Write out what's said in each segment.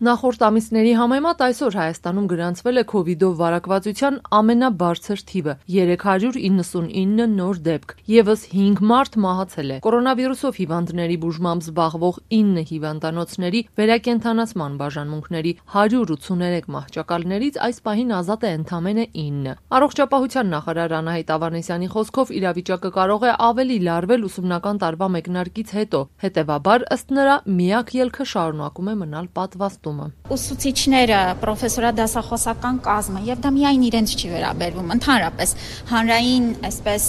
Նախորդ ամիսների համեմատ այսօր Հայաստանում գրանցվել է Քովիդով վարակվածության ամենաբարձր թիվը՝ 399 նոր դեպք, ևս 5 մարդ մահացել է։ Կորոնավիրուսով հիվանդների բուժմամբ զբաղվող 9 հիվանդանոցների վերակենդանացման բաժանմունքների 183 մահճակալներից այս պահին ազատ է ընդամենը 9։ Առողջապահության նախարար Անահիտ Ավանեսյանի խոսքով իրավիճակը կարող է ավելի լարվել ուսումնական տարվա մեկնարկից հետո, հետևաբար ըստ նրա միակ ելքը շարունակում է մնալ պատվաստումը։ Ուսուցիչները, պրոֆեսորադասախոսական կազմը, եւ դա միայն իրենց չի վերաբերվում, ընդհանրապես հանրային, այսպես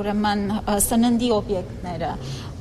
ուրեմն սննդի օբյեկտները,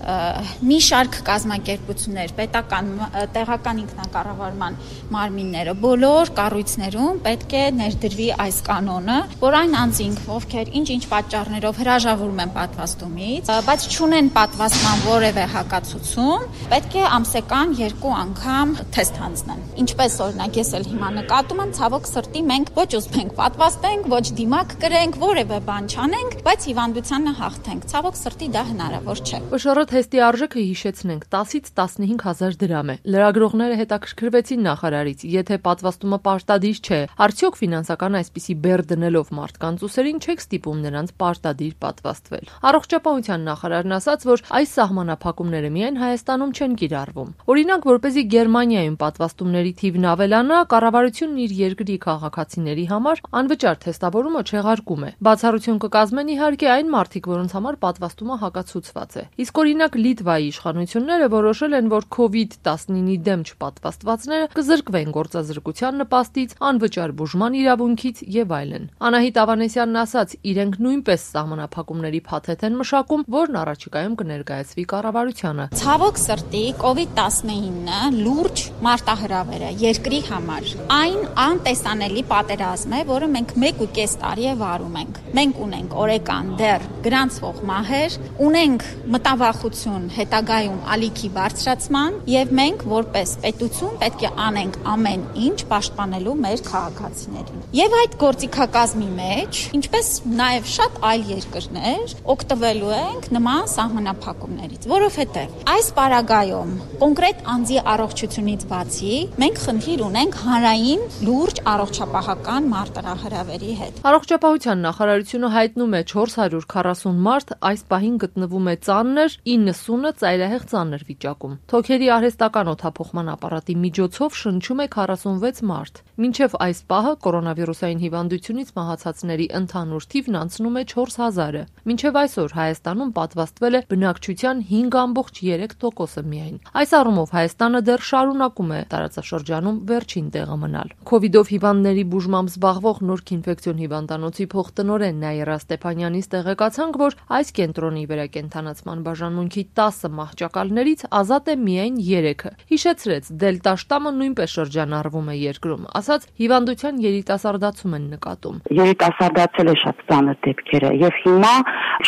մի շարք կազմակերպություններ, պետական, տեղական ինքնակառավարման մարմինները, բոլոր կառույցներում պետք է ներդրվի այս կանոնը, որ այն անձինք, ովքեր ինչ-ինչ պատճառներով հրաժարվում են պատվաստումից, բայց չունեն պատվաստման որևէ հակացություն, պետք է ամսական 2 անգամ թեստ հանձնեն։ Ինչպես օրինակ ես էլ հիմա նկատում եմ, ցավոք սրտի մենք ոչ ուզում ենք պատվաստենք, ոչ դիմակ կրենք, որևէ բան չանենք, բայց հիվանդությանը հաղթենք։ Ցավոք սրտի դա հնարավոր չէ։ ՊՇՌ թեստի արժեքը հիշեցնենք 10-ից 15 հազար դրամ է։ Լրագրողները հետաքրքրվեցին նախարարից, եթե պատվաստումը պարտադիր չէ, արդյոք ֆինանսական այսպիսի բեռ դնելով մարդկանց ուսերին չեք ստիպում նրանց պարտադիր պատվաստվել։ Առողջապահության նախարարն ասաց, որ այս սահմանափակումները միայն Հայաստանում չեն կիրառվում։ Օրինակ, որպեսզի Գերմանիայում պատվաստումների թիվն ավելանա, կառավարությունն իր երկրի քաղաքացիների համար անվճար թեստավորումը չեղարկում է։ Բացառություն կկազմեն իհարկե այն մարդիկ, որոնց համար պատվաստումը հակացուցված է։ Իսկ օրինակ Լիտվայի իշխանությունները որոշել են, որ COVID-19-ի դեմ չպատվաստվածները կզրկվեն գործազրկության նպաստից, անվճար բուժման իրավունքից եւ այլն։ Անահիտ Ավանեսյանն ասաց, իրենք նույնպես սահմանափակումների փաթեթ են մշակում, որն առաջիկայում կներկայացվի կառավարությանը։ Ցավոք սրտի COVID-19-ը լուրջ մարտահրավեր է երկրի համար։ Այն անտեսանելի պատերազմ է, որը մենք 1.5 տարի է վարում ենք։ Մենք ունենք օրեկան դեռ գրանցվող մահեր, ունենք մտավախություն հետագայում ալիքի բարձրացման եւ մենք որպես պետություն պետք է անենք ամեն ինչ պաշտպանելու մեր քաղաքացիներին։ Եվ այդ գործիքակազմի մեջ, ինչպես նաեւ շատ այլ երկրներ, օգտվելու ենք նման սահմանափակումներից, որովհետեւ այս պարագայում կոնկրետ անձի առողջությունից բացի մենք խնդիր ունենք հանրային լուրջ առողջապահական մարտահրավերի հետ։ Առողջապահության նախարարությունը հայտնում է 440 մարդ այս պահին գտնվում է ծանր, 90-ը ծայրահեղ ծանր վիճակում։ Թոքերի արհեստական օդափոխման ապարատի միջոցով շնչում է 46 մարդ։ Մինչև այս պահը կորոնավիրուսային հիվանդությունից մահացածների ընդհանուր թիվն անցնում է 4000-ը։ Մինչև այսօր Հայաստանում պատվաստվել է բնակչության 5.3%-ը միայն։ Այս առումով Հայաստանը դեռ շարունակում է տարածաշրջանում վերջին տեղը մնալ։ Քովիդով հիվանդների բուժմամբ զբաղվող Նորք ինֆեկցիոն հիվանդանոցի փոխտնօրեն Նաիրա Ստեփանյանից տեղեկացանք, որ այս կենտրոնի վերակենդանացման բաժանմունքի 10 մահճակալներից ազատ է միայն 3-ը։ Հիշեցրեց, դելտա շտամը նույնպես շրջանառվում է երկրում, ասաց հիվանդության երիտասարդացում են նկատում։ Երիտասարդացել է շատ ծանր դեպքերը եւ հիմա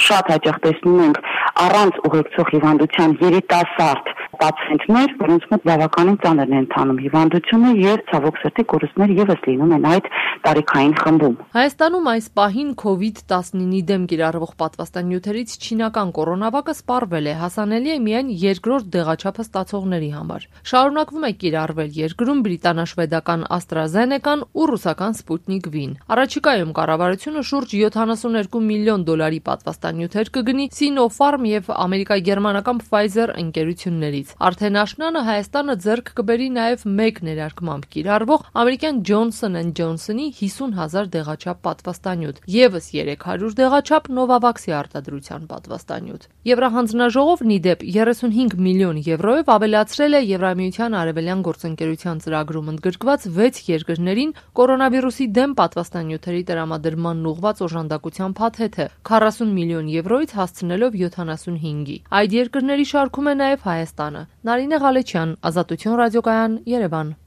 շատ հաճախ տեսնում ենք առանց ուղեկցող հիվանդության երիտասարդ պացիենտներ, որոնց մոտ բավականին ծանր է ընթանում հիվանդությունը եւ ցավոք սրտի կորուստներ եւս լինում են այդ տարիքային խմբում։ Հայաստանում այս պահին COVID-19-ի դեմ կիրառվող պատվաստանյութերից չինական կորոնավակը սպառվել է, հասանելի է միայն երկրորդ դեղաչափը ստացողների համար։ Շարունակվում է կիրառվել երկրում բրիտանաշվեդական AstraZeneca-ն ու ռուսական Sputnik V-ն։ Առաջիկայում կառավարությունը շուրջ 72 միլիոն դոլարի պատվաստանյութեր կգնի Sinopharm եւ ամերիկա-գերմանական Pfizer ընկերություններից։ Արդեն աշնանը Հայաստանը ձեռք կբերի նաև մեկ ներարկմամբ կիրառվող ամերիկյան Johnson & Johnson-ի 50,000 դեղաչափ պատվաստանյութ, եւս 300 դեղաչափ Novavax-ի արտադրության պատվաստանյութ։ Եվրահանձնաժողովն ի դեպ 35 միլիոն եվրոյով ավելացրել է Եվրամիության արևելյան գործընկերության ծրագրում ընդգրկված 6 երկրներին կորոնավիրուսի դեմ պատվաստանյութերի տրամադրմանն ուղղված օժանդակության փաթեթը 40 միլիոն եվրոյից հասցնելով 75-ի։ Այդ երկրների շարքում է նաև Հայաստանը։ Նարինե Ղալեչյան, Ազատություն ռադիոկայան, Երևան։